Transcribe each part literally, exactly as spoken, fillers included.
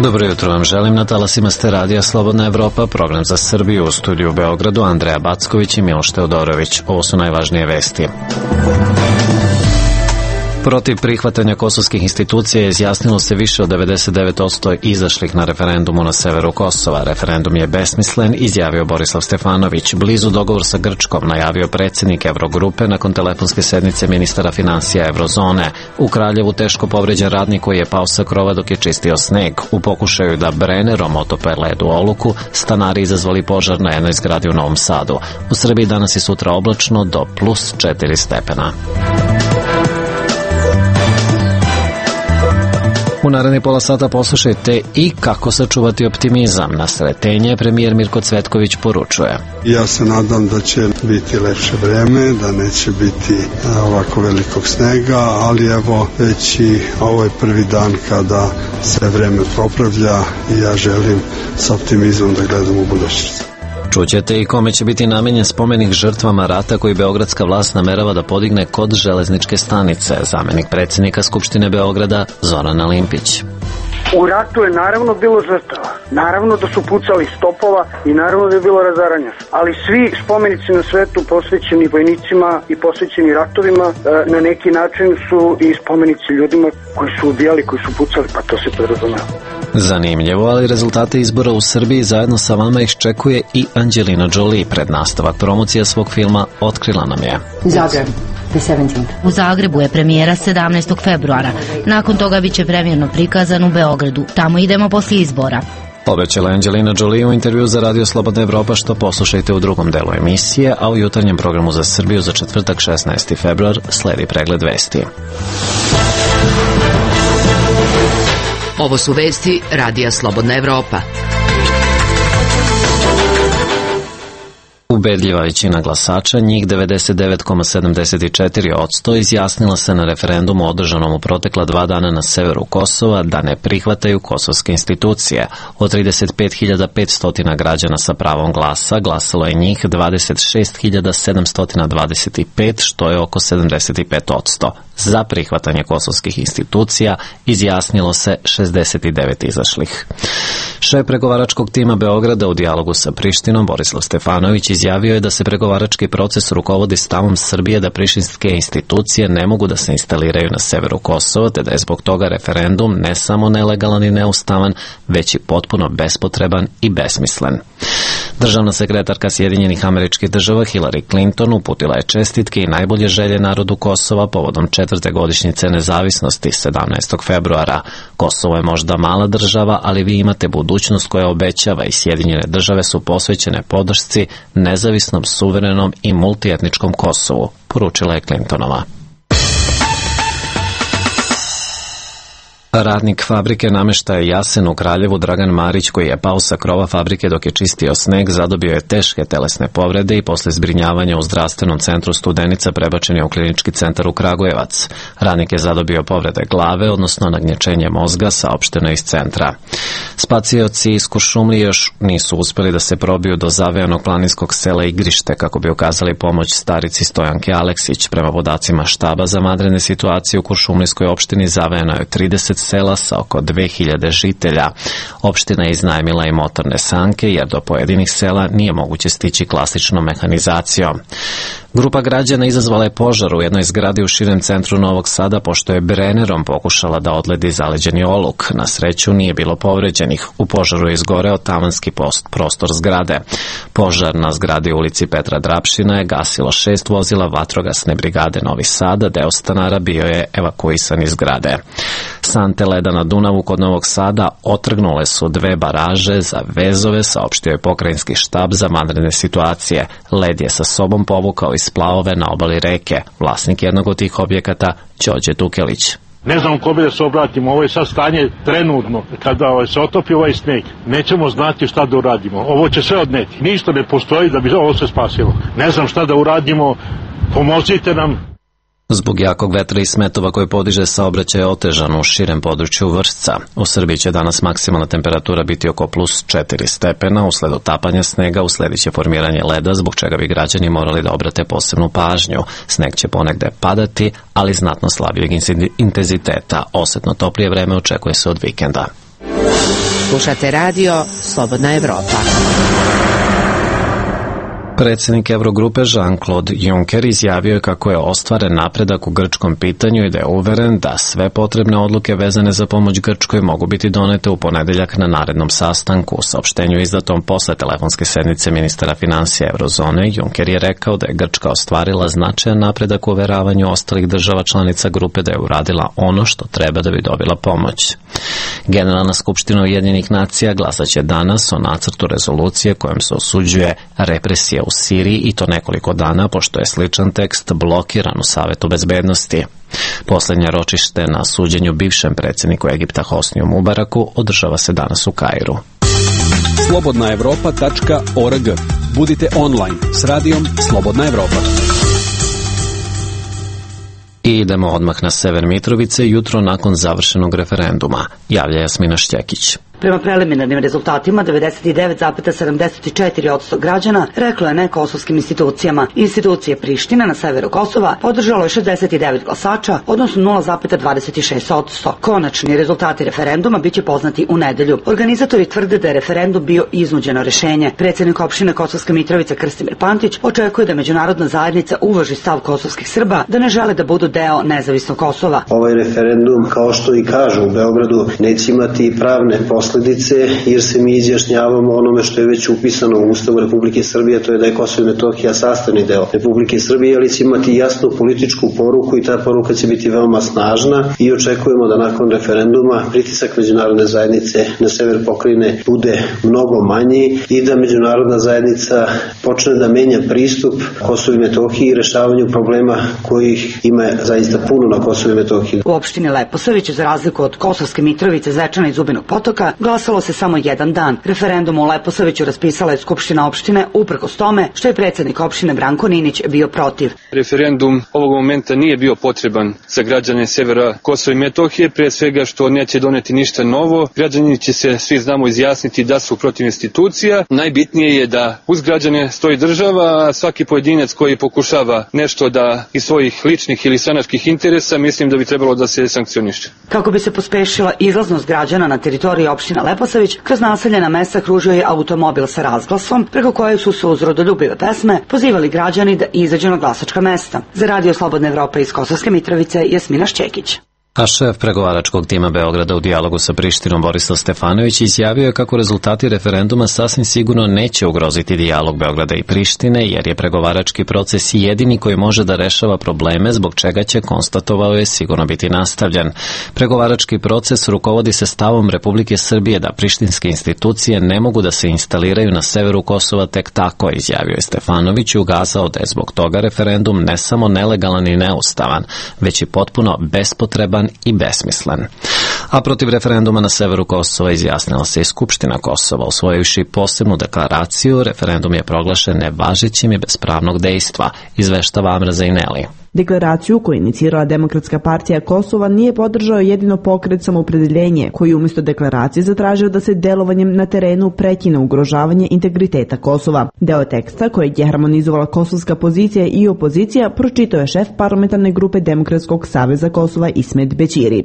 Dobro jutro vam želim, na talasima ste radija Slobodna Evropa, program za Srbiju, u studiju u Beogradu Andreja Backović i Miloš Teodorović. Ovo su najvažnije vesti. Protiv prihvatanja kosovskih institucija izjasnilo se više od devedeset devet posto izašlih na referendumu na severu Kosova. Referendum je besmislen, izjavio Borislav Stefanović. Blizu dogovor sa Grčkom, najavio predsjednik Evrogrupe nakon telefonske sednice ministara finansija Evrozone. U Kraljevu teško povređen radnik koji je pao sa krova dok je čistio sneg. U pokušaju da Brennerom otope led u oluku, stanari izazvali požar na jednoj zgradi u Novom Sadu. U Srbiji danas i sutra oblačno do plus četiri stepena. U naredni pola sata poslušajte i kako sačuvati optimizam. Na sretenje premijer Mirko Cvetković poručuje. Ja se nadam da će biti lepše vreme, da neće biti ovako velikog snega, ali evo već i ovo je prvi dan kada se vreme popravlja i ja želim sa optimizmom da gledam u budućnost. Čućete i kome će biti namenjen spomenik žrtvama rata koji beogradska vlast namerava da podigne kod železničke stanice. Zamenik predsjednika Skupštine Beograda Zoran Alimpić. U ratu je naravno bilo žrtava, naravno da su pucali stopova i naravno da je bilo razaranja. Ali svi spomenici na svetu posvećeni vojnicima i posvećeni ratovima na neki način su i spomenici ljudima koji su ubijali, koji su pucali, pa to se podrazumeva. Zanimljivo, ali rezultate izbora u Srbiji zajedno sa vama iščekuje i Angelina Jolie. Pred nastavak promocija svog filma otkrila nam je. Zagreb. U Zagrebu je premijera sedamnaestog februara. Nakon toga biće premijerno prikazan u Beogradu. Tamo idemo poslije izbora. Obećala Angelina Jolie u intervju za Radio Slobodna Evropa, što poslušajte u drugom delu emisije, a u jutarnjem programu za Srbiju za četvrtak šesnaesti februar sledi pregled vesti. Ovo su vesti Radija Slobodna Evropa. Ubedljiva većina glasača, njih devedeset devet zarez sedamdeset četiri posto, izjasnila se na referendumu održanom u protekla dva dana na severu Kosova da ne prihvataju kosovske institucije. Od trideset pet hiljada petsto građana sa pravom glasa glasalo je njih dvadeset šest hiljada sedamsto dvadeset pet, što je oko sedamdeset pet posto. Za prihvatanje kosovskih institucija izjasnilo se šezdeset devet izašlih. Šef pregovaračkog tima Beograda u dijalogu sa Prištinom, Borislav Stefanović, izjavio je da se pregovarački proces rukovodi stavom Srbije da prištinske institucije ne mogu da se instaliraju na severu Kosova, te da je zbog toga referendum ne samo nelegalan i neustavan, već i potpuno bespotreban i besmislen. Državna sekretarka Sjedinjenih Američkih Država Hillary Clinton uputila je čestitke i najbolje želje narodu Kosova povodom četvrte godišnjice nezavisnosti sedamnaestog februara. Kosovo je možda mala država, ali vi imate budućnost koja obećava i Sjedinjene Države su posvećene podršci nezavisnom, suverenom i multietničkom Kosovu, poručila je Clintonova. Radnik fabrike nameštaja Jasen u Kraljevu Dragan Marić, koji je pao sa krova fabrike dok je čistio sneg, zadobio je teške telesne povrede i posle zbrinjavanja u zdravstvenom centru Studenica prebačen je u klinički centar u Kragujevac. Radnik je zadobio povrede glave, odnosno nagnječenje mozga, saopšteno iz centra. Spacioci iz Kuršumlije još nisu uspeli da se probiju do zavejanog planinskog sela Igrište kako bi ukazali pomoć starici Stojanke Aleksić. Prema podacima štaba za vanredne situacije u Kuršumlijskoj opštini zavejano je trideset sela sa oko dve hiljade žitelja. Opština je iznajmila i motorne sanke jer do pojedinih sela nije moguće stići klasičnom mehanizacijom. Grupa građana izazvala je požar u jednoj zgradi u širem centru Novog Sada pošto je Brennerom pokušala da odledi zaleđeni oluk. Na sreću nije bilo povređenih. U požaru je izgoreo tavanski post, prostor zgrade. Požar na zgradi u ulici Petra Drapšina je gasilo šest vozila vatrogasne brigade Novi Sada, deo stanara bio je evakuisan iz zgrade. Sante leda na Dunavu kod Novog Sada otrgnule su dve baraže za vezove, saopštio je pokrajinski štab za vanredne situacije. Led je sa sobom povukao iz splavove na obali reke. Vlasnik jednog od tih objekata, Đorđe Tukelić. Ne znam kome da se obratimo, ovo je sad stanje trenutno. Kada se otopi ovaj sneg, nećemo znati šta da uradimo. Ovo će sve odneti. Ništa ne postoji da bi ovo se spasilo. Ne znam šta da uradimo, pomozite nam. Zbog jakog vetra i smetova koji podiže saobraćaj je otežan u širem području Vršca. U Srbiji će danas maksimalna temperatura biti oko plus četiri stepena, usled otapanja snega usledit će formiranje leda, zbog čega bi građani morali da obrate posebnu pažnju. Sneg će ponegde padati, ali znatno slabijeg intenziteta. Osetno toplije vreme očekuje se od vikenda. Slušate radio Slobodna Evropa. Predsjednik Eurogrupe Jean-Claude Juncker izjavio je kako je ostvaren napredak u grčkom pitanju i da je uveren da sve potrebne odluke vezane za pomoć Grčkoj mogu biti donete u ponedeljak na narednom sastanku. U saopštenju izdatom posle telefonske sednice ministara financija Eurozone, Juncker je rekao da je Grčka ostvarila značajan napredak u uveravanju ostalih država članica grupe da je uradila ono što treba da bi dobila pomoć. Generalna skupština Ujedinjenih nacija glasaće danas o nacrtu rezolucije kojom se osuđuje represija u Siriji i to nekoliko dana pošto je sličan tekst blokiran u Savetu bezbednosti. Poslednje ročište na suđenju bivšem predsjedniku Egipta Hosniju Mubaraku održava se danas u Kairu. slobodna evropa tačka org. Budite online s radijom Slobodna Evropa. I idemo odmah na sever Mitrovice jutro nakon završenog referenduma. Javlja Jasmina Šćekić. Prema preliminarnim rezultatima, devedeset devet zarez sedamdeset četiri posto građana reklo je ne kosovskim institucijama. Institucije Prištine na severu Kosova podržalo je šezdeset devet glasača, odnosno nula zarez dvadeset šest posto. Konačni rezultati referenduma biće poznati u nedelju. Organizatori tvrde da je referendum bio iznuđeno rešenje. Predsjednik opštine Kosovska Mitrovica Krstimir Pantić očekuje da međunarodna zajednica uvaži stav kosovskih Srba da ne žele da budu deo nezavisnog Kosova. Ovaj referendum, kao što i kažu u Beogradu, neće imati pravne posledice jer se mi izjašnjavamo onome što je već upisano u Ustavu Republike Srbije, to je da je Kosovo i Metohija sastavni deo Republike Srbije, ali će imati jasnu političku poruku i ta poruka će biti veoma snažna i očekujemo da nakon referenduma pritisak međunarodne zajednice na sever pokrajine bude mnogo manji i da međunarodna zajednica počne da menja pristup Kosovu i Metohiji i rešavanju problema kojih ima zaista puno na Kosovu i Metohiji. U opštini Leposavić, za razliku od Kosovske Mitrovice, Zvečana i Zubinog Potoka, glasalo se samo jedan dan. Referendum u Leposaviću raspisala je Skupština opštine uprkos tome što je predsjednik opštine Branko Ninić bio protiv. Referendum ovog momenta nije bio potreban za građane severa Kosova i Metohije, pre svega što neće doneti ništa novo. Građani će se, svi znamo, izjasniti da su protiv institucija. Najbitnije je da uz građane stoji država, a svaki pojedinac koji pokušava nešto da iz svojih ličnih ili stranačkih interesa, mislim da bi trebalo da se sankcioniše. Kako bi se pospešila izlaznost građana na teritoriji opštine Leposavić, kroz naseljena mesta kružio je automobil sa razglasom, preko kojeg su se uz rodoljubive pesme pozivali građani da izađu na glasačka mesta. Za radio Slobodna Evropa iz Kosovske Mitrovice, Jasmina Šćekić. A šef pregovaračkog tima Beograda u dijalogu sa Prištinom Borislav Stefanović izjavio je kako rezultati referenduma sasvim sigurno neće ugroziti dijalog Beograda i Prištine, jer je pregovarački proces jedini koji može da rešava probleme, zbog čega će, konstatovao je, sigurno biti nastavljen. Pregovarački proces rukovodi se stavom Republike Srbije da prištinske institucije ne mogu da se instaliraju na severu Kosova tek tako, izjavio je Stefanović i ukazao da je zbog toga referendum ne samo nelegalan i neustavan, već i potpuno bespotreban i besmislen. A protiv referenduma na severu Kosova izjasnila se i Skupština Kosova. Usvojivši posebnu deklaraciju, referendum je proglašen nevažećim i bez pravnog dejstva, izveštava Amra Zaineli. Deklaraciju koju je inicirala Demokratska partija Kosova nije podržao jedino pokret Samoopredeljenje, koji umjesto deklaracije zatražio da se delovanjem na terenu prekine ugrožavanje integriteta Kosova. Deo teksta kojeg je harmonizovala kosovska pozicija i opozicija pročitao je šef parlamentarne grupe Demokratskog saveza Kosova Ismet Bećiri.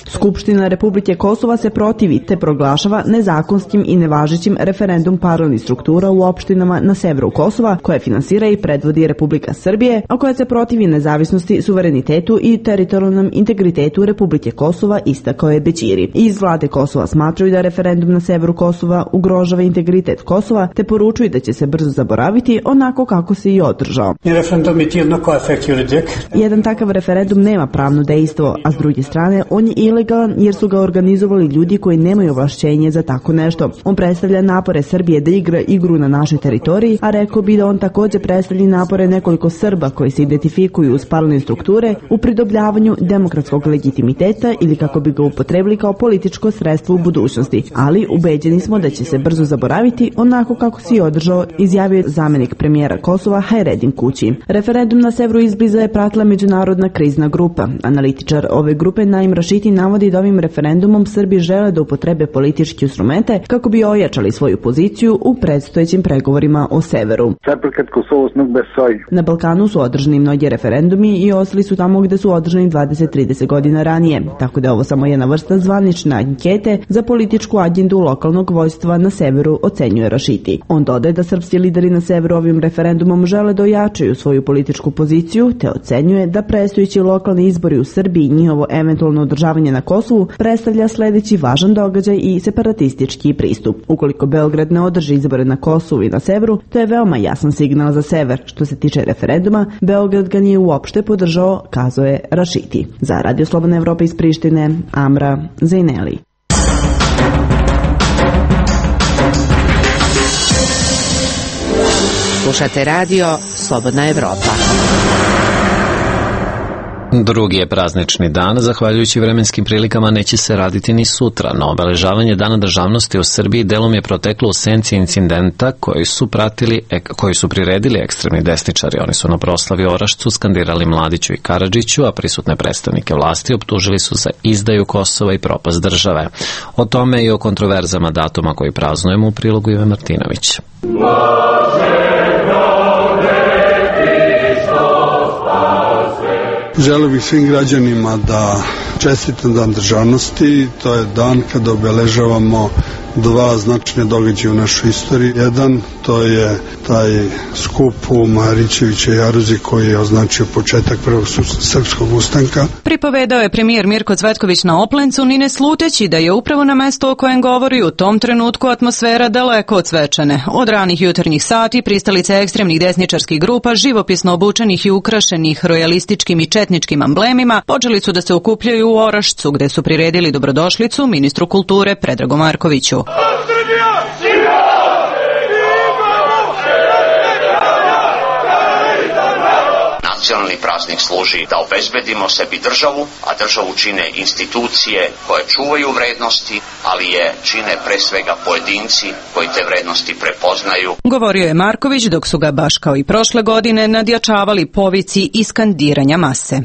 Skupština Republike Kosova se protivi te proglašava nezakonskim i nevažećim referendum paralelnih struktura u opštinama na severu Kosova, koje finansira i predvodi Republika Srbije, a koja se protivi nezavisnosti, suverenitetu i teritorijalnom integritetu Republike Kosova, istakao je Bećiri. Iz vlade Kosova smatraju da referendum na severu Kosova ugrožava integritet Kosova, te poručuju da će se brzo zaboraviti onako kako se i održao. Jedan takav referendum nema pravno dejstvo, a s druge strane on je ilegalan jer su ga organizovali ljudi koji nemaju ovlašćenje za tako nešto. On predstavlja napore Srbije da igra igru na našoj teritoriji, a rekao bi da on također predstavlja napore nekoliko Srba koji se identifikuju uz paralelne strukture u pridobljavanju demokratskog legitimiteta ili kako bi ga upotrebili kao političko sredstvo u budućnosti, ali ubeđeni smo da će se brzo zaboraviti onako kako se i održao, izjavio zamjenik premijera Kosova Hajredin Kući. Referendum na severu izbliza je pratila međunarodna krizna grupa grupa. Analitičar ove grupe Naim Rašiti navodi da ovim referendumom Srbi žele da upotrebe politički instrumente kako bi ojačali svoju poziciju u predstojećim pregovorima o severu. Na Balkanu su održani mnogi referendumi i ostali su tamo gde su održani dvadeset do trideset godina ranije, tako da je ovo samo jedna vrsta zvanične ankete za političku agendu lokalnog vojstva na severu, ocenjuje Rašiti. On dodaje da srpski lideri na severu ovim referendumom žele da ojačaju svoju političku poziciju, te ocenjuje da predstojeći lokalni izbori u Srbiji i njihovo eventualno održavanje na Kosovu predstavlja sledeći važan događaj i separatistički pristup. Ukoliko Beograd ne održi izbore na Kosovu i na severu, to je veoma jasan signal za sever. Što se tiče referenduma, Beograd ga nije uopšte podržao, kazao je Rašiti. Za Radio Slobodna Evropa iz Prištine, Amra Zejneli. Slušate radio Slobodna Evropa. Drugi je praznični dan, zahvaljujući vremenskim prilikama neće se raditi ni sutra, no obeležavanje Dana državnosti u Srbiji delom je proteklo u senci incidenta koji su pratili, koji su priredili ekstremni desničari. Oni su na proslavi Orašcu skandirali Mladiću i Karadžiću, a prisutne predstavnike vlasti optužili su za izdaju Kosova i propast države. O tome i o kontroverzama datuma koji praznujemo u prilogu Ive Martinović. Želeo bih svim građanima da čestitam Dan državnosti. To je dan kada obeležavamo dva značajne događaja u našoj istoriji. Jedan, to je taj skup u Marićevića i Jaruzi koji je označio početak prvog srpskog ustanka. Pripovedao je premijer Mirko Cvetković na Oplencu, ni ne sluteći da je upravo na mesto o kojem govori u tom trenutku atmosfera daleko od svečane. Od ranih jutarnjih sati pristalice ekstremnih desničarskih grupa, živopisno obučenih i ukrašenih rojalističkim i četničkim amblemima, počeli su da se okupljaju u Orašcu, gde su priredili dobrodošlicu ministru kulture Predragu Markoviću. Nacionalni praznik služi da obezbedimo sebi državu, a državu čine institucije koje čuvaju vrednosti, ali je čine pre svega pojedinci koji te vrednosti prepoznaju. Govorio je Marković dok su ga baš kao i prošle godine nadjačavali povici i skandiranja mase.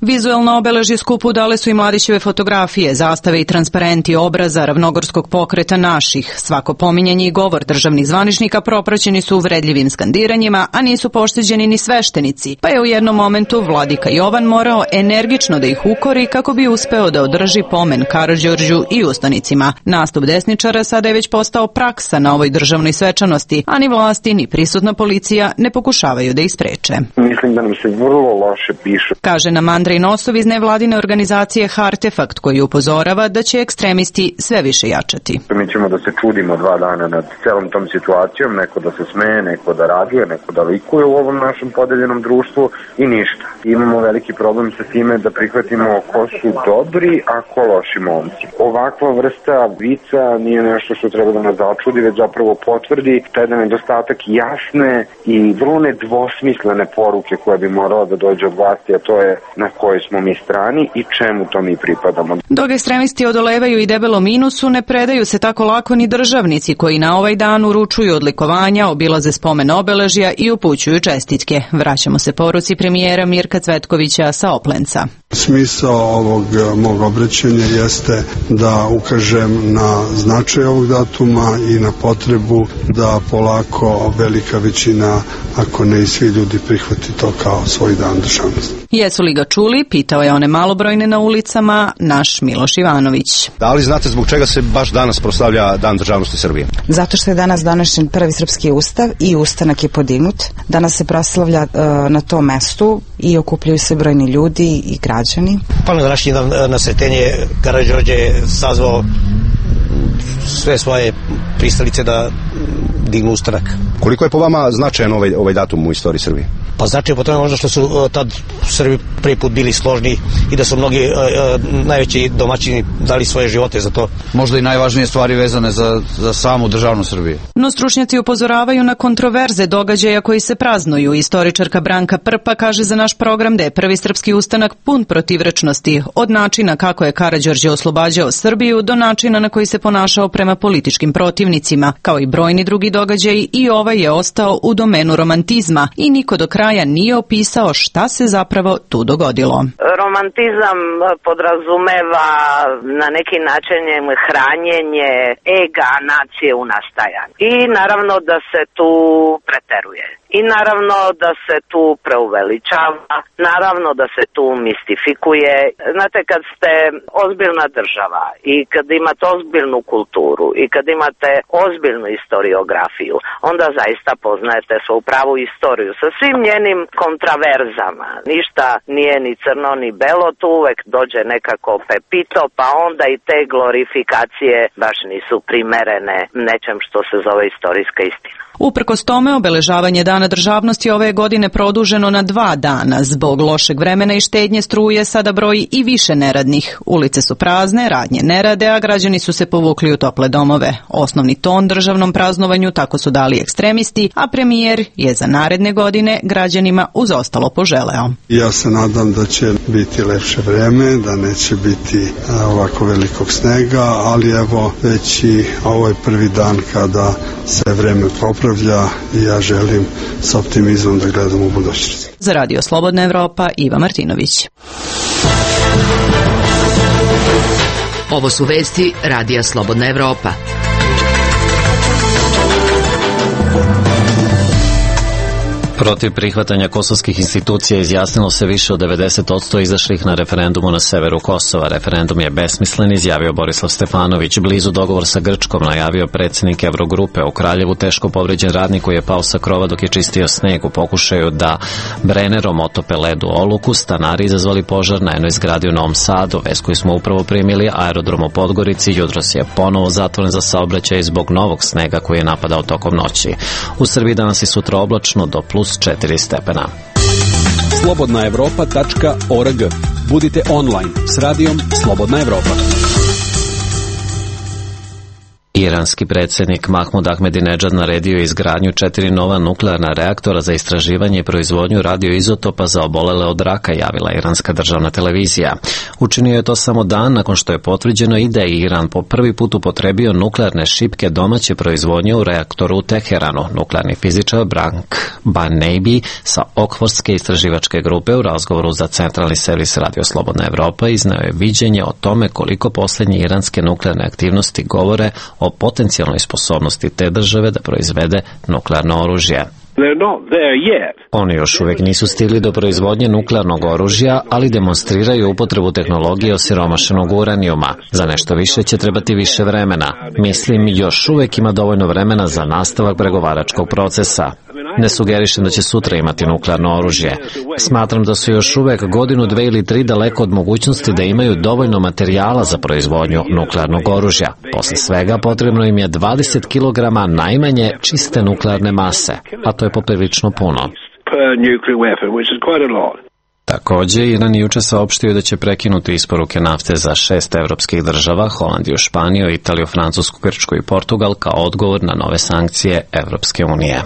Vizuelno obeležje skupu dale su i Mladićeve fotografije, zastave i transparenti obraza ravnogorskog pokreta naših. Svako pominjanje i govor državnih zvaničnika propraćeni su uvredljivim skandiranjima, a nisu pošteđeni ni sveštenici, pa je u jednom momentu vladika Jovan morao energično da ih ukori kako bi uspeo da održi pomen Karađorđu i ustanicima. Nastup desničara sada je već postao praksa na ovoj državnoj svečanosti, a ni vlasti ni prisutna policija ne pokušavaju da ih spreče. Mislim da nam se vrlo loše piše, kaže nam Andrej Nosov iz nevladine organizacije Hartefakt, koji upozorava da će ekstremisti sve više jačati. Mi ćemo da se čudimo dva dana nad celom tom situacijom, neko da se smeje, neko da raduje, neko da likuje u ovom našem podeljenom društvu i ništa. Imamo veliki problem sa time da prihvatimo ko su dobri, a ko loši momci. Ovakva vrsta vica nije nešto što treba da nas začudi, već zapravo potvrdi taj da nedostatak jasne i vrlo nedvosmislene poruke koja bi morala da dođe od vlasti, a to je na kojoj smo mi strani i čemu to mi pripadamo. Dok ekstremisti odolevaju i debelo minusu, ne predaju se tako lako ni državnici koji na ovaj dan uručuju odlikovanja, obilaze spomen obeležja i upućuju čestitke. Vraćamo se poruci premijera Mirka Cvetkovića sa Oplenca. Smisao ovog mog obraćanja jeste da ukažem na značaj ovog datuma i na potrebu da polako velika većina, ako ne i svi ljudi, prihvati to kao svoj dan državnosti. Jesu li ga čuli? Pitao je one malobrojne na ulicama naš Miloš Ivanović. Da li znate zbog čega se baš danas proslavlja Dan državnosti Srbije? Zato što je danas donesen prvi srpski ustav i ustanak je podignut. Danas se proslavlja uh, na tom mestu i okupljaju se brojni ljudi i građani. Pa na današnji dan na Sretenje Karađorđe je sazvao sve svoje pristalice da dignu ustanak. Koliko je po vama značajan ovaj, ovaj datum u istoriji Srbije? Pa značajan po tome možda što su tad Srbi prvi put bili složni i da su mnogi uh, uh, najveći domaćini dali svoje živote za to. Možda i najvažnije stvari vezane za, za samu državnu Srbiju. No stručnjaci upozoravaju na kontroverze događaja koji se praznuju. Istoričarka Branka Prpa kaže za naš program da je prvi srpski ustanak pun protivrečnosti, od načina kako je Karađorđe oslobađao Srbiju do načina na koji se ponašao prema političkim protivnicima. Kao i brojni drugi događaji, i ovaj je ostao u domenu romantizma i niko do kraja nije opisao šta se zapravo tu dogodilo. Romantizam podrazumeva na neki način hranjenje ega nacije u nastajanju. I naravno da se tu preteruje. I naravno da se tu preuveličava, naravno da se tu mistifikuje. Znate, kad ste ozbiljna država i kad imate ozbiljnu kulturu i kad imate ozbiljnu historiografiju, onda zaista poznajete svoju pravu istoriju sa svim njenim kontraverzama. Ništa nije ni crno ni belo, tu uvek dođe nekako pepito, pa onda i te glorifikacije baš nisu primerene nečem što se zove istorijska istina. Uprkos tome, obeležavanje Dana državnosti ove godine produženo na dva dana. Zbog lošeg vremena i štednje struje sada broji i više neradnih. Ulice su prazne, radnje ne rade, a građani su se povukli u tople domove. Osnovni ton državnom praznovanju tako su dali ekstremisti, a premijer je za naredne godine građanima uz ostalo poželeo. Ja se nadam da će biti lepše vreme, da neće biti ovako velikog snega, ali evo već i ovaj prvi dan kada se vreme popravlja i ja želim s optimizmom da gledam u budućnosti. Za Radio Slobodna Evropa, Iva Martinović. Ovo su vesti Radija Slobodna Evropa. Protiv prihvatanja kosovskih institucija izjasnilo se više od devedeset posto izašlih na referendumu na severu Kosova. Referendum je besmislen, izjavio Borislav Stefanović. Blizu dogovor sa Grčkom, najavio predsjednik Evrogrupe. U Kraljevu teško povređen radnik koji je pao sa krova dok je čistio sneg. U pokušaju da Brennerom otope ledu Oluku, stanari izazvali požar na jednoj zgradi u Novom Sadu. Vest koju smo upravo primili, aerodrom u Podgorici jutros je ponovo zatvoren za saobraćaj zbog novog snega koji je napadao tokom noći. U Srbiji danas i sutra oblačno do plus četiri stepena. slobodna evropa tačka org. Budite online s radijom Slobodna Evropa. Iranski predsjednik Mahmud Ahmedinedžad naredio je izgradnju četiri nova nuklearna reaktora za istraživanje i proizvodnju radioizotopa za obolele od raka, javila iranska državna televizija. Učinio je to samo dan nakon što je potvrđeno i da je Iran po prvi put upotrebio nuklearne šipke domaće proizvodnje u reaktoru u Teheranu. Nuklearni fizičar Brank Baneibi sa Okfordske istraživačke grupe u razgovoru za centralni servis Radio Slobodna Evropa izneo je viđenje o tome koliko posljednje iranske nuklearne aktivnosti govore o potencijalnoj sposobnosti te države da proizvede nuklearno oružje. Oni još uvijek nisu stigli do proizvodnje nuklearnog oružja, ali demonstriraju upotrebu tehnologije osiromašenog uranijuma. Za nešto više će trebati više vremena. Mislim, još uvijek ima dovoljno vremena za nastavak pregovaračkog procesa. Ne sugerišem da će sutra imati nuklearno oružje. Smatram da su još uvijek godinu, dve ili tri daleko od mogućnosti da imaju dovoljno materijala za proizvodnju nuklearnog oružja. Posle svega potrebno im je dvadeset kilograma najmanje čiste nuklearne mase, a to je poprilično puno. Također, Iran juče saopštio da će prekinuti isporuke nafte za šest evropskih država, Holandiju, Španiju, Italiju, Francusku, Grčku i Portugal kao odgovor na nove sankcije Evropske unije.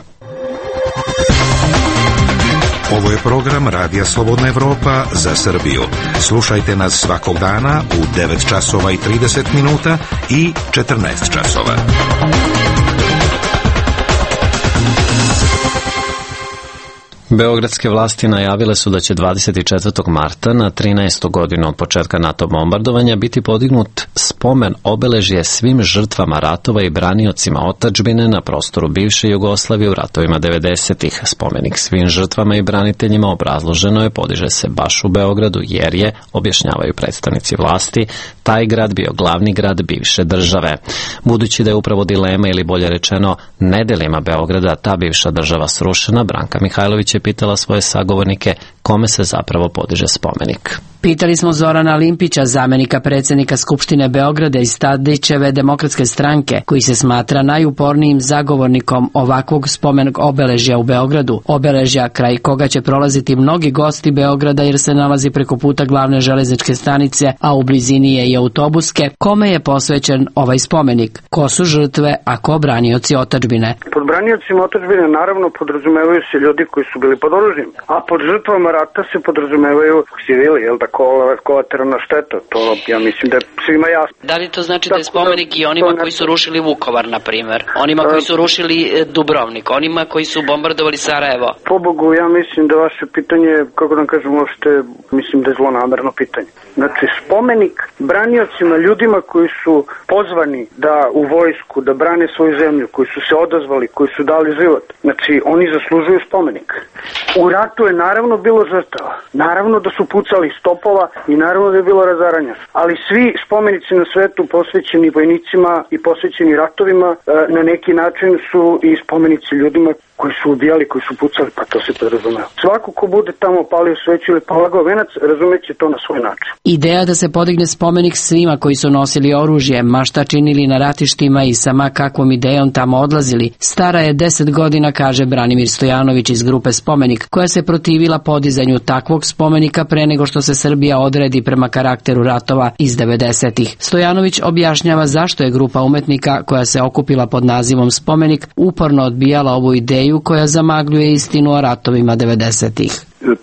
Ovo je program Radija Slobodna Evropa za Srbiju. Slušajte nas svakog dana u devet časova i trideset minuta i četrnaest časova. Beogradske vlasti najavile su da će dvadeset četvrtog marta na trinaestu godinu od početka NATO bombardovanja biti podignut spomen obeležje svim žrtvama ratova i braniocima otadžbine na prostoru bivše Jugoslavije u ratovima devedesetih. Spomenik svim žrtvama i braniteljima obrazloženo je podiže se baš u Beogradu jer je, objašnjavaju predstavnici vlasti, taj grad bio glavni grad bivše države. Budući da je upravo dilema ili bolje rečeno nedelima Beograda ta bivša država srušena, Branka Mihajlović je pitala svoje sagovornike kome se zapravo podiže spomenik. Pitali smo Zorana Limpića, zamenika predsjednika Skupštine Beograda iz Tadićeve demokratske stranke, koji se smatra najupornijim zagovornikom ovakvog spomenog obeležja u Beogradu, obeležja kraj koga će prolaziti mnogi gosti Beograda jer se nalazi preko puta glavne železničke stanice, a u blizini je i autobuske. Kome je posvećen ovaj spomenik? Ko su žrtve, a ko branioci otadžbine? Pod braniocima otadžbine naravno podrazumevaju se ljudi koji su bili pod oružjem, a pod žrtvama rata se podrazumevaju civili, jel da, kolateralna šteta, to ja mislim da je svima jasno. Da li to znači da je spomenik i onima koji su rušili Vukovar, na primjer? Onima koji su rušili Dubrovnik, onima koji su bombardovali Sarajevo? Pobogu, ja mislim da vaše pitanje, kako da kažem, uopšte, mislim da je zlonamerno pitanje. Znači, spomenik braniocima, ljudima koji su pozvani da u vojsku, da brane svoju zemlju, koji su se odazvali, koji su dali život, znači, oni zaslužuju spomenik. U ratu je naravno bilo žrtava, naravno da su pucali stopova i naravno da je bilo razaranja. Ali svi spomenici na svetu posvećeni vojnicima i posvećeni ratovima na neki način su i spomenici ljudima koji su ubijali, koji su pucali, pa to se podrazumeva. Svako ko bude tamo palio sveću ili polagao venac, razumeće to na svoj način. Ideja da se podigne spomenik svima koji su nosili oružje, ma šta činili na ratištima i sama kakvom idejom tamo odlazili, stara je deset godina, kaže Branimir Stojanović iz grupe Spomenik, koja se protivila podizanju takvog spomenika pre nego što se Srbija odredi prema karakteru ratova iz devedesetih. Stojanović objašnjava zašto je grupa umetnika koja se okupila pod nazivom Spomenik uporno odbijala ovu ideju koja zamagljuje istinu o ratovima devedesetih.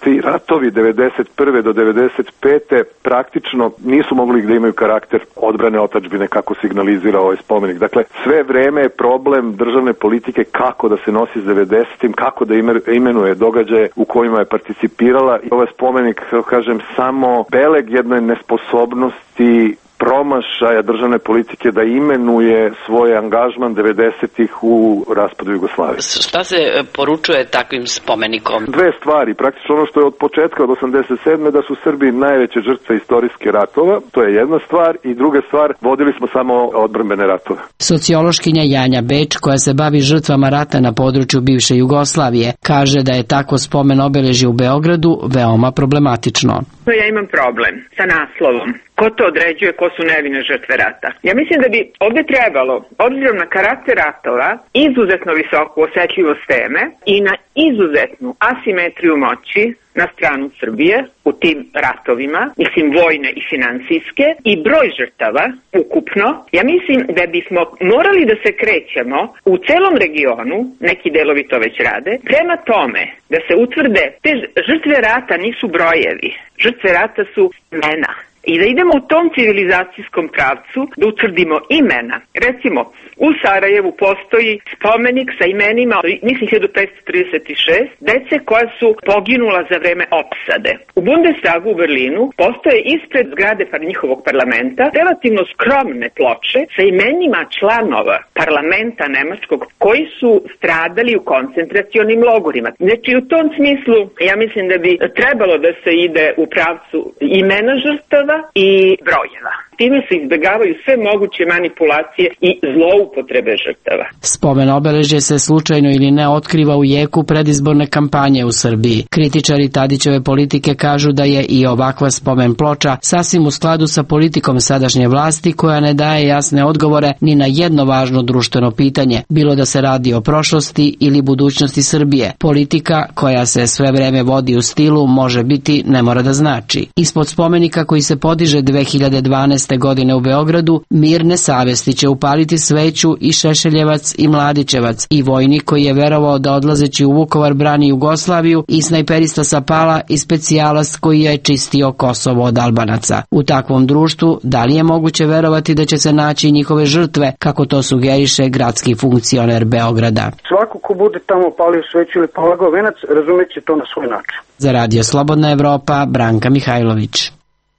Ti ratovi devedeset prve do devedeset pete praktično nisu mogli da imaju karakter odbrane otadžbine kako signalizira ovaj spomenik. Dakle, sve vreme je problem državne politike kako da se nosi s devedesetim, kako da imenuje događaje u kojima je participirala. I ovaj spomenik, kažem, samo beleg jedne nesposobnosti promašaja državne politike da imenuje svoj angažman devedesetih u raspadu Jugoslavije. Šta se poručuje takvim spomenikom? Dve stvari. Praktično ono što je od početka od osamdeset sedme da su Srbi najveće žrtve istorijske ratova, to je jedna stvar, i druga stvar, vodili smo samo odbrambene ratove. Sociološkinja Janja Beč, koja se bavi žrtvama rata na području bivše Jugoslavije, kaže da je tako spomen obeležje u Beogradu veoma problematično. Ja imam problem sa naslovom. Ko to određuje, ko su nevine žrtve rata? Ja mislim da bi ovdje trebalo, obzirom na karakter ratova, izuzetno visoku osetljivost teme i na izuzetnu asimetriju moći na stranu Srbije u tim ratovima, mislim vojne i finansijske, i broj žrtava ukupno, ja mislim da bismo morali da se krećemo u celom regionu, neki delovi to već rade, prema tome da se utvrde te žrtve rata nisu brojevi, žrtve rata su imena. I da idemo u tom civilizacijskom pravcu, da utvrdimo imena. Recimo, u Sarajevu postoji spomenik sa imenima, mislim hiljadu petsto trideset šest, dece koja su poginula za vreme opsade. U Bundestagu u Berlinu postoje ispred zgrade par njihovog parlamenta relativno skromne ploče sa imenima članova parlamenta nemačkog koji su stradali u koncentracionim logorima. Znači, u tom smislu, ja mislim da bi trebalo da se ide u pravcu imena žrtava i brojeva. Time se izbjegavaju sve moguće manipulacije i zloupotrebe žrtava. Spomen obeležje se slučajno ili ne otkriva u jeku predizborne kampanje u Srbiji. Kritičari Tadićeve politike kažu da je i ovakva spomen ploča sasvim u skladu sa politikom sadašnje vlasti koja ne daje jasne odgovore ni na jedno važno društveno pitanje, bilo da se radi o prošlosti ili budućnosti Srbije. Politika koja se sve vreme vodi u stilu može biti, ne mora da znači. Ispod spomenika koji se podiže dve hiljade dvanaeste godine u Beogradu, mirne savesti će upaliti sveću i Šešeljevac i Mladićevac, i vojnik koji je verovao da odlazeći u Vukovar brani Jugoslaviju, i snajperista sa Pala i specijalac koji je čistio Kosovo od Albanaca. U takvom društvu, da li je moguće verovati da će se naći njihove žrtve, kako to sugeriše gradski funkcioner Beograda? Svako ko bude tamo palio sveću ili polagao venac, razumeće to na svoj način. Za Radio Slobodna Evropa, Branka Mihajlović.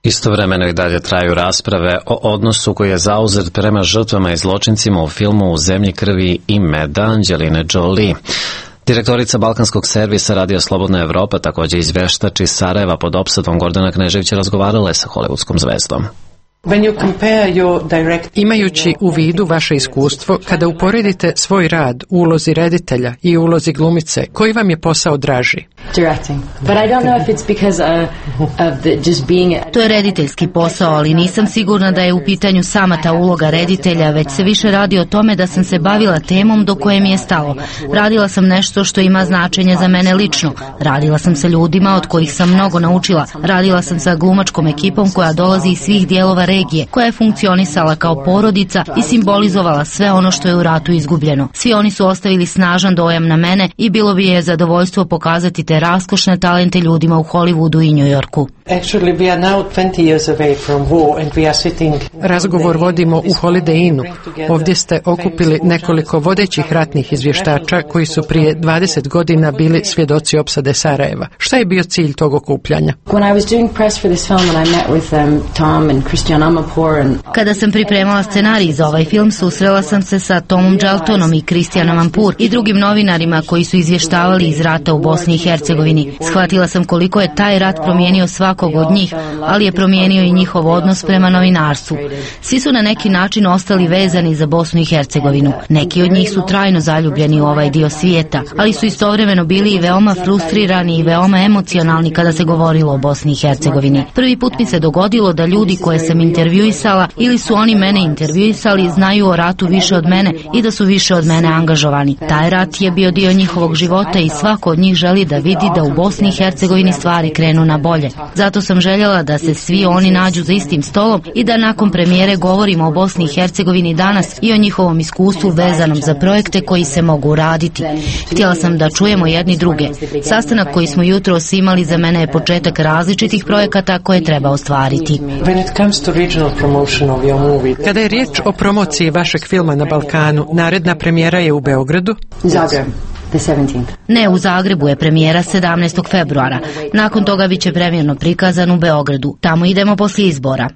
Istovremeno i dalje traju rasprave o odnosu koji je zauzet prema žrtvama i zločincima u filmu U zemlji krvi i meda Anđeline Jolie. Direktorica Balkanskog servisa Radio Slobodna Evropa, također izveštač iz Sarajeva pod opsadom Gordana Kneževića, razgovarala je sa hollywoodskom zvezdom. Imajući u vidu vaše iskustvo, kada uporedite svoj rad u ulozi reditelja i u ulozi glumice, koji vam je posao draži? To je rediteljski posao, ali nisam sigurna da je u pitanju sama ta uloga reditelja, već se više radi o tome da sam se bavila temom do koje mi je stalo. Radila sam nešto što ima značenje za mene lično. Radila sam sa ljudima od kojih sam mnogo naučila. Radila sam sa glumačkom ekipom koja dolazi iz svih dijelova regije, koja je funkcionisala kao porodica i simbolizovala sve ono što je u ratu izgubljeno. Svi oni su ostavili snažan dojam na mene i bilo bi je zadovoljstvo pokazati te raskošne talente ljudima u Hollywoodu i New Yorku. Razgovor vodimo u Holiday Innu. Ovdje ste okupili nekoliko vodećih ratnih izvještača koji su prije dvadeset godina bili svjedoci opsade Sarajeva. Šta je bio cilj tog okupljanja? Kada sam pripremala scenarij za ovaj film, susrela sam se sa Tomom Jaltonom i Christianom Ampur i drugim novinarima koji su izvještavali iz rata u Bosni i Hercegovini. Shvatila sam koliko je taj rat promijenio svakog od njih, ali je promijenio i njihov odnos prema novinarstvu. Svi su na neki način ostali vezani za Bosnu i Hercegovinu. Neki od njih su trajno zaljubljeni u ovaj dio svijeta, ali su istovremeno bili i veoma frustrirani i veoma emocionalni kada se govorilo o Bosni i Hercegovini. Prvi put mi se dogodilo da ljudi koje sam intervjuisala ili su oni mene intervjuisali znaju o ratu više od mene i da su više od mene angažovani. Taj rat je bio dio njihovog života i svako od njih želi da vidi da u Bosni i Hercegovini stvari krenu na bolje. Zato sam željela da se svi oni nađu za istim stolom i da nakon premijere govorimo o Bosni i Hercegovini danas i o njihovom iskustvu vezanom za projekte koji se mogu raditi. Htjela sam da čujemo jedni druge. Sastanak koji smo jutros imali za mene je početak različitih projekata koje treba ostvariti. Kada je riječ o promociji vašeg filma na Balkanu, naredna premijera je u Beogradu? Zagreb. Ne, u Zagrebu je premijera sedamnaestog februara. Nakon toga bit će premijerno prikazan u Beogradu. Tamo idemo poslije izbora.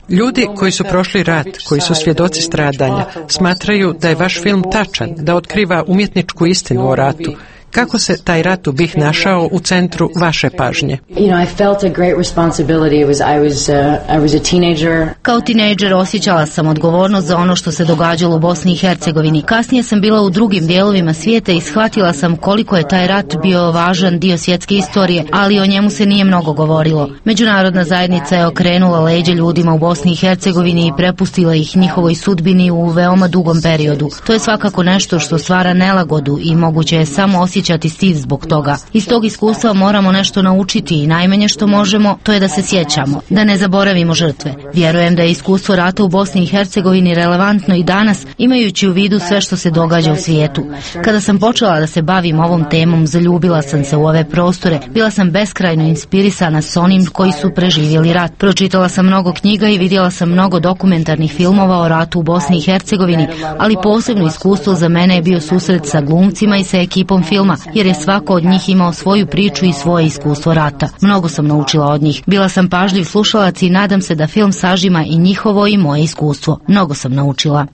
Ljudi koji su prošli rat, koji su svjedoci stradanja, smatraju da je vaš film tačan, da otkriva umjetničku istinu o ratu. Kako se taj rat u B i H našao u centru vaše pažnje? Kao tinejdžer osjećala sam odgovornost za ono što se događalo u Bosni i Hercegovini. Kasnije sam bila u drugim dijelovima svijeta i shvatila sam koliko je taj rat bio važan dio svjetske istorije, ali o njemu se nije mnogo govorilo. Međunarodna zajednica je okrenula leđa ljudima u Bosni i Hercegovini i prepustila ih njihovoj sudbini u veoma dugom periodu. To je svakako nešto što stvara nelagodu i moguće je samo osjećati stid zbog toga. Iz tog iskustva moramo nešto naučiti i najmanje što možemo to je da se sjećamo, da ne zaboravimo žrtve. Vjerujem da je iskustvo rata u Bosni i Hercegovini relevantno i danas, imajući u vidu sve što se događa u svijetu. Kada sam počela da se bavim ovom temom, zaljubila sam se u ove prostore, bila sam beskrajno inspirisana s onim koji su preživjeli rat. Pročitala sam mnogo knjiga i vidjela sam mnogo dokumentarnih filmova o ratu u Bosni i Hercegovini, ali posebno iskustvo za mene je bio susret sa glumcima i sa ekipom filma, jer je svako od njih imao svoju priču i svoje iskustvo rata. Mnogo sam naučila od njih. Bila sam pažljiv slušalac i nadam se da film sažima i njihovo i moje iskustvo. Mnogo sam naučila.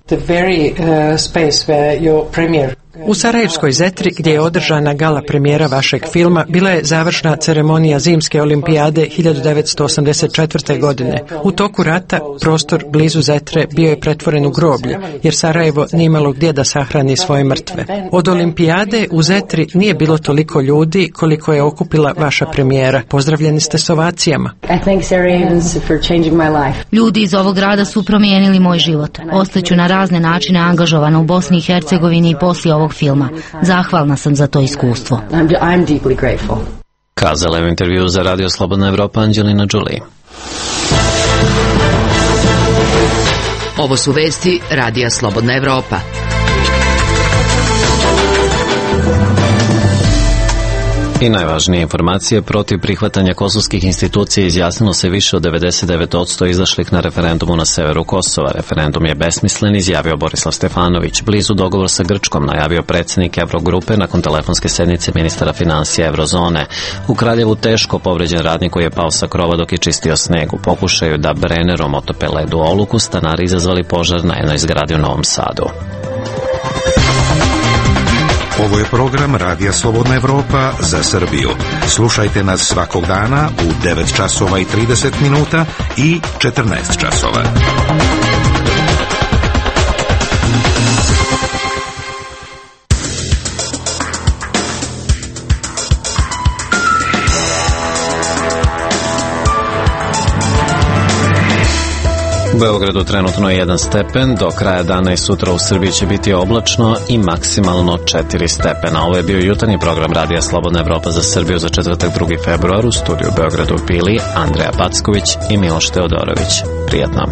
U Sarajevskoj Zetri, gdje je održana gala premijera vašeg filma, bila je završna ceremonija Zimske olimpijade hiljadu devetsto osamdeset četvrte. godine. U toku rata prostor blizu Zetre bio je pretvoren u groblje, jer Sarajevo nije imalo gdje da sahrani svoje mrtve. Od olimpijade u Zetri nije bilo toliko ljudi koliko je okupila vaša premijera. Pozdravljeni ste s ovacijama. Ljudi iz ovog grada su promijenili moj život. Ostaću na razne načine angažovana u Bosni i Hercegovini i poslije ovog filma. Zahvalna sam za to iskustvo. Kazala je u intervju za Radio Slobodna Evropa Anđelina Đuli. Ovo su vesti Radija Slobodna Evropa. I najvažnije informacije: protiv prihvatanja kosovskih institucija izjasnilo se više od devedeset devet posto izašlih na referendumu na severu Kosova. Referendum je besmislen, izjavio Borislav Stefanović. Blizu dogovor sa Grčkom, najavio predsjednik Evrogrupe nakon telefonske sednice ministara financija Evrozone. U Kraljevu teško povređen radnik koji je pao sa krova dok je čistio sneg. U pokušaju da Brennerom otope led u Oluku, stanari izazvali požar na jednoj zgradi u Novom Sadu. Ovo je program Radija Slobodna Evropa za Srbiju. Slušajte nas svakog dana u devet časova i trideset minuta i četrnaest časova. U Beogradu trenutno je jedan stepen, do kraja dana i sutra u Srbiji će biti oblačno i maksimalno četiri stepena. Ovo je bio jutarnji program Radija Slobodna Evropa za Srbiju za četvrtak drugi februar. U studiju u Beogradu bili Andreja Packović i Miloš Teodorović. Prijatno.